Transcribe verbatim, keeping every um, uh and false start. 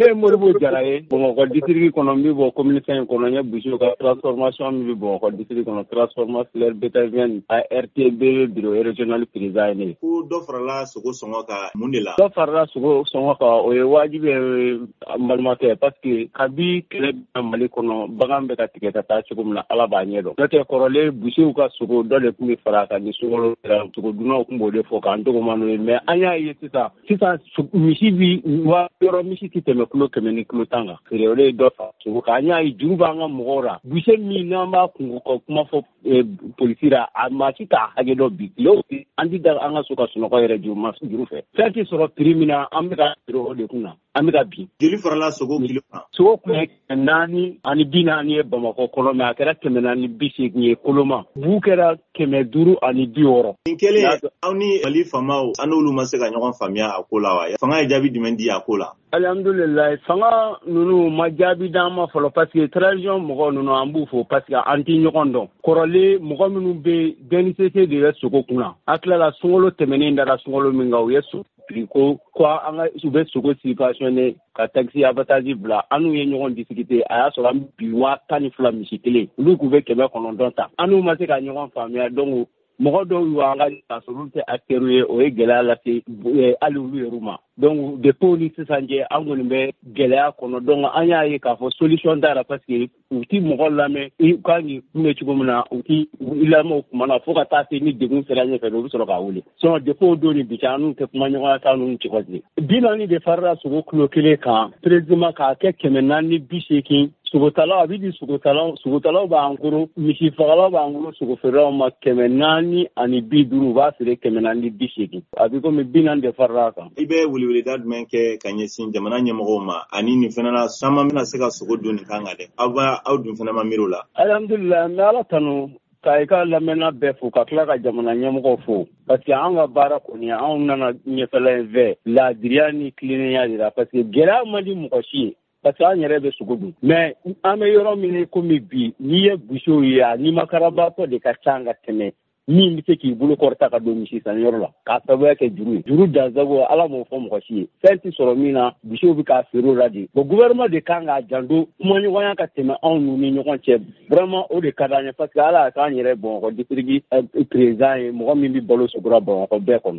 Ne ye Modibo Jara ye Bamakɔ district kɔnɔ, n bɛ bɔ commune cinq kɔnɔ. N ye Busiw ka transformation min bɛ Bamakɔ district kɔnɔ, transformation filière bétail A R T B bureau régional président ye ne ye. Ko dɔ farala sogo sɔngɔ kan, mun de la? Dɔ farala sogo sɔngɔ kan, o ye wajibi ye, n balimakɛ, parce que kabi kɛlɛ bɛ Mali kɔnɔ, bagan bɛ ka tigɛ ka taa cogo min na, Ala b'a ɲɛ dɔn. N'o tɛ, kɔrɔlen Busiw ka sogo dɔ de tun bɛ fara a kan ni sunkalo sera, sogodunnaw tun b'o de fɔ k'an tɔgɔma n'o ye. Mais an y'a ye sisan sisan, misi bi wa yɔrɔ, misi tɛ tɛmɛ kilo kɛmɛ ni kilo tan kan feere. O de ye dɔ fara sogo kan. An y'a ye juru b'an ka mɔgɔw la. Buse min n'an b'a kungo ka kuma fɔ polisi la, a maa si t'a hakɛ dɔn. Bi tile o tile, an ti da an ka so ka sunɔgɔ yɛrɛ juru ma juru fɛ. Fɛn tɛ sɔrɔ prix min na, an bɛ ka feere o de kun na, an bɛ ka bin. Joli farala sogo kilo kan? Sogo kun ye kɛmɛ naani ani bi naani ye Bamakɔ kɔnɔ, mais a kɛra kɛmɛ naani bi seegin ye koloma. Bu kɛra kɛmɛ duuru ani bi wɔɔrɔ. Nin kɛlen, aw ni Mali faamaw, an n'olu ma se ka ɲɔgɔn faamuya a ko la wa? Fanga ye jaabi jumɛn di a ko la? Alhamdulilayi, fanga ninnu ma jaabi d'an ma fɔlɔ, parce que transition mɔgɔ ninnu, an b'u fo, parce que an ti ɲɔgɔn dɔn. Kɔrɔlen, mɔgɔ minnu bɛ D N C C de bɛ sogo kunna. A tilala sunkalo tɛmɛnen dara sunkalo min kan, u ye sogo prix ko ko an ka u bɛ sogo subventionné ka taxe abattage bila. An n'u ye ɲɔgɔn discuter, a y'a sɔrɔ an bi waa tan ni fila misi kelen, olu k'u bɛ kɛmɛ kɔnɔntɔn ta. An n'u ma se ka ɲɔgɔn faamuya. Donc mɔgɔ dɔw y'u an ka k'a sɔrɔ olu tɛ acteurs ye, o ye gɛlɛya lase hali olu yɛrɛ ma. Donc depuis o ni sisan cɛ, an kɔni bɛ gɛlɛya kɔnɔ. Donc an y'a ye k'a fɔ solution t'a la, parce que u ti mɔgɔ lamɛn. I kan k'i kunbɛ cogo min na, u ti i lamɛn o kuma na, fo ka taa se ni degun sera ɲɛfɛ, u bɛ sɔrɔ k'a wele. Sinon depuis o don ni bi cɛ, an n'u tɛ kuma ɲɔgɔnya t'an n'u cɛ. Bi naani de farala sogo kilo kelen kan précisément, k'a kɛ kɛmɛ naani ni bi seegin. Sogotalaw, a bɛ di sogotalaw, sogotalaw b'an koro, misi fagalaw b'an bolo, sogofeerelaw ma kɛmɛ naani ani bi duuru, u b'a feere kɛmɛ naani ni bi seegin. A bɛ komi bi naani de farala a kan. I bɛ weleweleda jumɛn kɛ ka ɲɛsin jamana ɲɛmɔgɔw ma? Ani nin fana na, caman bɛna se ka sogo dun nin kan kan dɛ, aw b'a aw dun fana ma miiri o la? Alhamdulilayi, n bɛ Ala tanu ka i ka lamɛnna bɛɛ fo, ka tila ka jamana ɲɛmɔgɔw fo, parce que an ka baara kɔni, anw nana ɲɛfɛla in fɛ laadiriya ni tilennenya de la, parce que gɛlɛya man di mɔgɔ si ye, parce que an yɛrɛ bɛ sogo dun. Mais an bɛ yɔrɔ min komi bi, n'i ye busew ye, a nimakarabaatɔ de ka ca ka tɛmɛ min bɛ se k'i bolo kɔrɔta ka don misi sanyɔrɔ la, k'a sababuya kɛ juru ye. Juru dansago, Ala m'o fɔ mɔgɔ si ye. Fɛn tɛ sɔrɔ min na, busew bɛ k'a feere o la de. Bon, gouvernement de kan k'a janto, kumaɲɔgɔnya ka tɛmɛ anw n'u ni ɲɔgɔn cɛ. Vraiment, o de ka d'an ye, parce que Ala y'a k'an yɛrɛ Bamakɔ district président ye, mɔgɔ min bɛ balo sogora Bamakɔ bɛɛ kɔnɔ.